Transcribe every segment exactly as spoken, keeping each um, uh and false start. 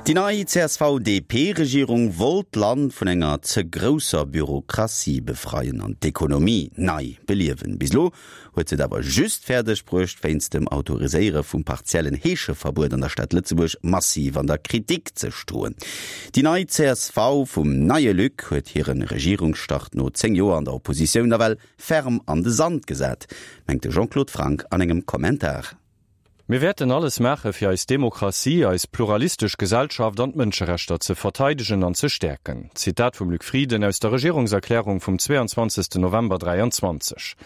Déi nei CSV-DP-Regierung wollt d'Land vun enger ze grousser Bürokratie befreien an d'Ekonomie nei beliewen. Bis elo huet se et awer just fäerdeg bruecht, wéinst dem Autoriséiere vum partiellen Heescheverbuet an der Stad Lëtzebuerg massiv an der Kritik ze stoen. Déi nei csv vum neie Luc huet hire Regierungsstart no zéng Joer an der Oppositioun nawell ferm an de Sand gesat, mengt de Jean-Claude Franck an engem Kommentar. Mir wäerten alles maache fir eis Demokratie, eis pluralistesch Gesellschaft an d'Mënscherechter ze verteidegen an ze stäerken. Zitat vum Luc Frieden aus der Regierungserklärung vum zweeanzwanzegsten November dräianzwanzeg.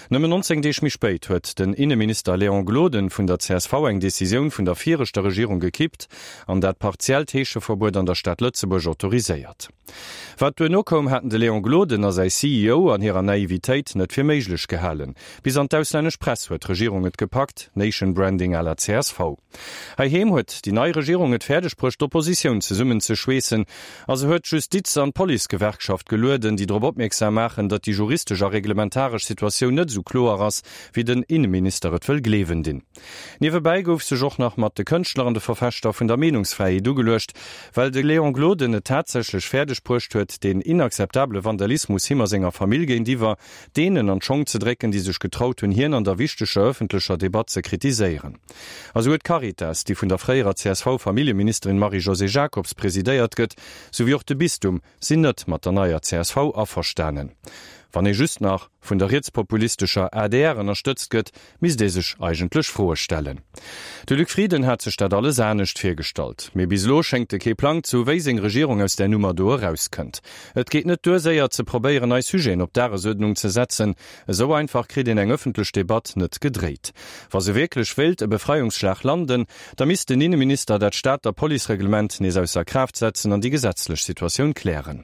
Nëmmen nonzéng Deeg méi spéit huet den Inneminister Léon Gloden vun der csv eng Decisioun vun der viregter Regierung gekippt an dat partiellt Heescheverbuet an der Stad Lëtzebuerg autoriséiert. Wat duerno koum, haten de Léon Gloden a säi CEO an hirer Naivitéit net fir méiglech gehalen. Bis an d'auslännesch Press huet d'Regierung et gepackt, Nation Branding à la csv. Heiheem huet déi nei Regierung et fäerdeg bruecht, d'Oppositioun zesummen ze schweessen a se huet d'Justiz an d'Policegewerkschaft gelueden, déi drop opmierksam maachen, datt déi juristesch a reglementaresch Situatioun net esou kloer ass, wéi den Inneminister et wëll gleewen dinn. Niewebäi gouf sech och nach mat de Kënschtler an de Verfechter vun der Meenungsfräiheet ugeluecht, well de Léon Gloden et tatsächlech fäerdeg bruecht huet, deen inakzeptabele Vandalismus him a senger Famill géintiwwer deenen an d'Schong ze drécken, déi sech getraut hunn, hien an der wichteger ëffentlecher Debatt ze kritiséieren. A souguer d'Caritas, déi vun der fréierer CSV-Familljeministerin Marie-Josée Jacobs presidéiert gëtt, souwéi och de Bistum sinn net mat der neier csv averstanen. Wann ee just nach vun der rietspopulistescher adr ënnerstëtzt gëtt, misst ee sech eigentlech Froe stellen. De Luc Frieden hat sech dat alles anescht virgestallt. Mee bis elo schéngt e kee Plang ze hu wéi seng Regierung aus där Nummer do erauskënnt. Et geet net duer séier ze probéieren nei Sujeten op d'Dagesuerdnung ze setzen. Esou einfach kritt een eng ëffentlech Debatt net gedréit. Wa se wierklech wéilt e Befreiungsschlag landen, da misst den Inneminister dat Stater Policereglement nees ausser Kraaft setzen an déi gesetzlech Situatioun klären.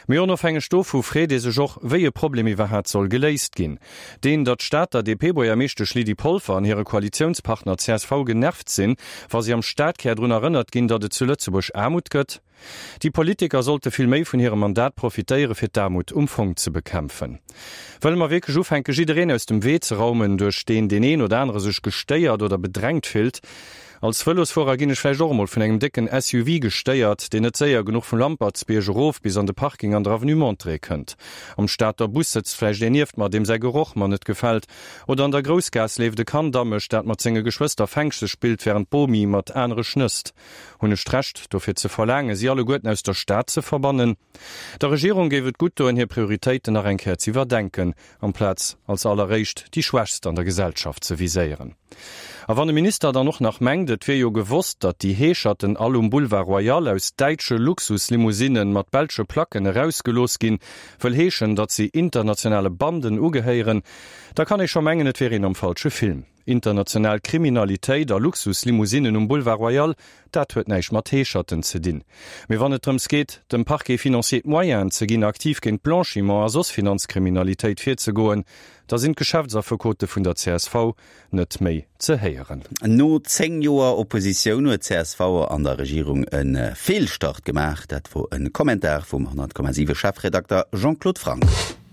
Mee onofhängeg dovu freet ee sech och, wéi e Problem iwwerhaat soll geléist ginn. Deen, datt d'Stater DP-Buergermeeschtesch Lydie Polfer an hire Koalitiounspartner csv genervt sinn, wa si am Stadkär drun erënnert ginn, datt et zu Lëtzebuerg Aarmut gëtt. Déi Politiker sollte vill méi vun hirem Mandat profitéiere fir d'Aarmut um Fong ze bekämpfen. Wëlle mer wierklech ufänke jiddereen aus dem Wee ze raumen, duerch deen deen een oder anere sech gestéiert oder bedrängt fillt? Als Vëlosfuerer ginn ech vläicht och emol vun engem décken SUV gestéiert, deen net séier genuch vum Lampertsbierg erof bis an de Parking an der Avenue Monterey kënnt. Am Stater Bus sëtzt vläicht een nieft mer, deem säi Geroch mer net gefält. Oder an der Groussgaass leeft e Kand a mech, dat mat senge Geschwëster Fänkche spillt, wärend d'Bomi mat anere schnësst. Hunn ech d'Recht, dofir ze verlaangen, si alleguerten aus der Stad ze verbannen? Der Regierung géif et gutt doen, hir Prioritéiten nach eng Kéier z'iwwerdenken, amplaz als alleréischt déi Schwächst an der Gesellschaft ze viséieren. A wann e Minister dann och nach mengt, et wier jo gewosst, datt déi Heescherten all um Boulevard Royal aus däitsche Luxuslimousinnen mat belsche Placken erausgelooss ginn, wëll heeschen, datt si internationale Banden ugehéieren, da kann ee scho mengen, et wier een am falsche Film. International Kriminalitéit a Luxuslimousinnen um Boulevard Royal, dat huet näischt mat Heescherten ze dinn. Mee wann et drëms geet, dem Parquet financier d'Moyenen ze ginn, aktiv géint Blanchiment a soss Finanzkriminalitéit virzegoen, da sinn d'Geschäftsaffekote vun der csv net méi ze héieren. No zéng Joer Oppositioun huet csv an der Regierung e Feelstart gemaach. Dat wor e Kommentar vum honnert Komma siwe Chefredakter Jean-Claude Franck.